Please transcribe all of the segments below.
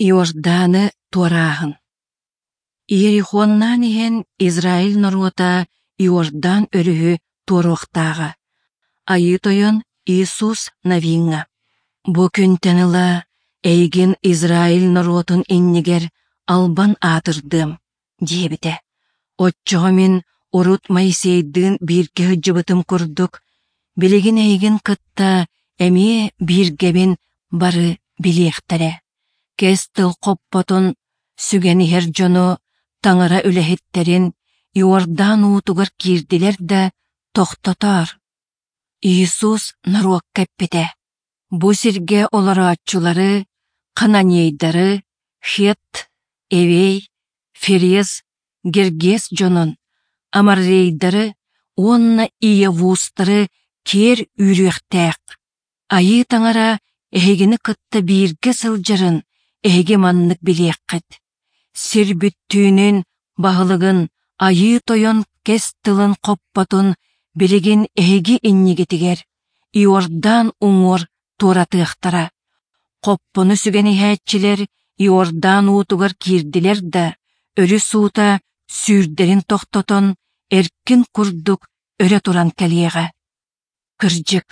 Иорданы туорааһын. Иерихоннаан иһэн Израиль норуота Иордан өрүһү туоруохтааҕа. Айыы Тойон Иисус Навиҥҥа: «Бу күнтэн ыла эйигин Израиль норуотун иннигэр албан аатырдыам» диэбитэ. Оччоҕо мин урут Моисейдыын бииргэ сылдьыбытым курдук, билигин эйигин кытта эмиэ бииргэбин бары билиэхтэрэ. Кэс тыл хоппотун сүгэн иһэр дьону, таҥара үлэһиттэрин Иордан уутугар киирдилэр да, тохтотоор. Иисус норуокка эппитэ: «Бу сиргэ олорооччулары, хананейдары, хет, эвей, ферез, гергес дьонун, амаррейдары уонна иевустары киэр үүрүөхтээх. Айыы Таҥара эһигини кытта бииргэ сылдьарын эһиги маннык билиэххит. Сир бүттүүнүн баһылыгын Айыы Тойон кэс тылын хоппотун билигин эһиги иннигитигэр Иордан уҥуор туоратыахтара. Хоппону сүгэн иһээччилэр Иордан уутугар киирдилэр да, өрүс уута сүүрдэрин тохтотон, эркин курдук өрө туран кэлиэҕэ. Кырдьык,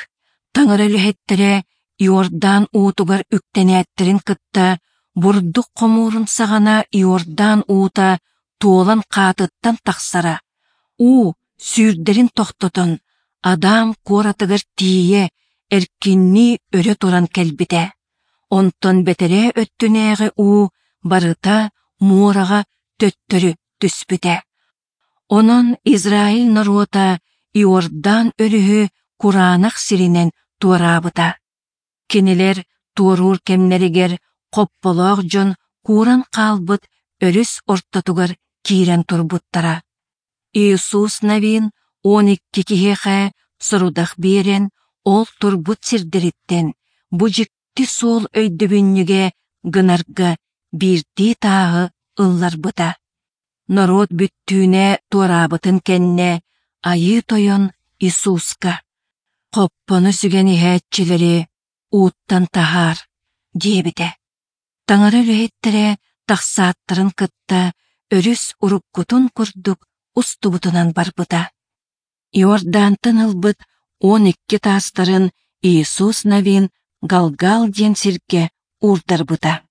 таҥара үлэһиттэрэ Иордан уутугар үктэнээттэрин кытта бурдук хомуурун саҕана Иордан уута туолан хаатыттан тахсара, уу сүүрдэрин тохтотон, Адам куоратыгар тиийэ эркиннии өрө туран кэлбитэ. Онтон бэтэрээ өттүнээҕи уу барыта муораҕа төттөрү түспүтэ. Онон Израиль норуота Иордан өрүһү кураанах сиринэн туораабыта. Кинилэр туоруур кэмнэригэр хопполоох дьон кууран хаалбыт өрүс ортотугар киирэн турбуттара. Иисус Навин 12 киһиэхэ сорудах биэрэн, ол турбут сирдэриттэн бу дьикти суол өйдөбүнньүгэ гынарга биирдии тааһы ылларбыта. Норуот бүттүүнэ туораабытын кэннэ Айыы Тойон Иисуска: «Хоппону сүгэн иһээччилэри ууттан таһаар» диэбитэ. Таҥара үлэһиттэрэ тахсааттарын кытта өрүс уруккутун курдук устубутунан барбыта. Иордантан ылбыт 12 таастарын Иисус Навин Галгал диэн сиргэ уурдарбыта.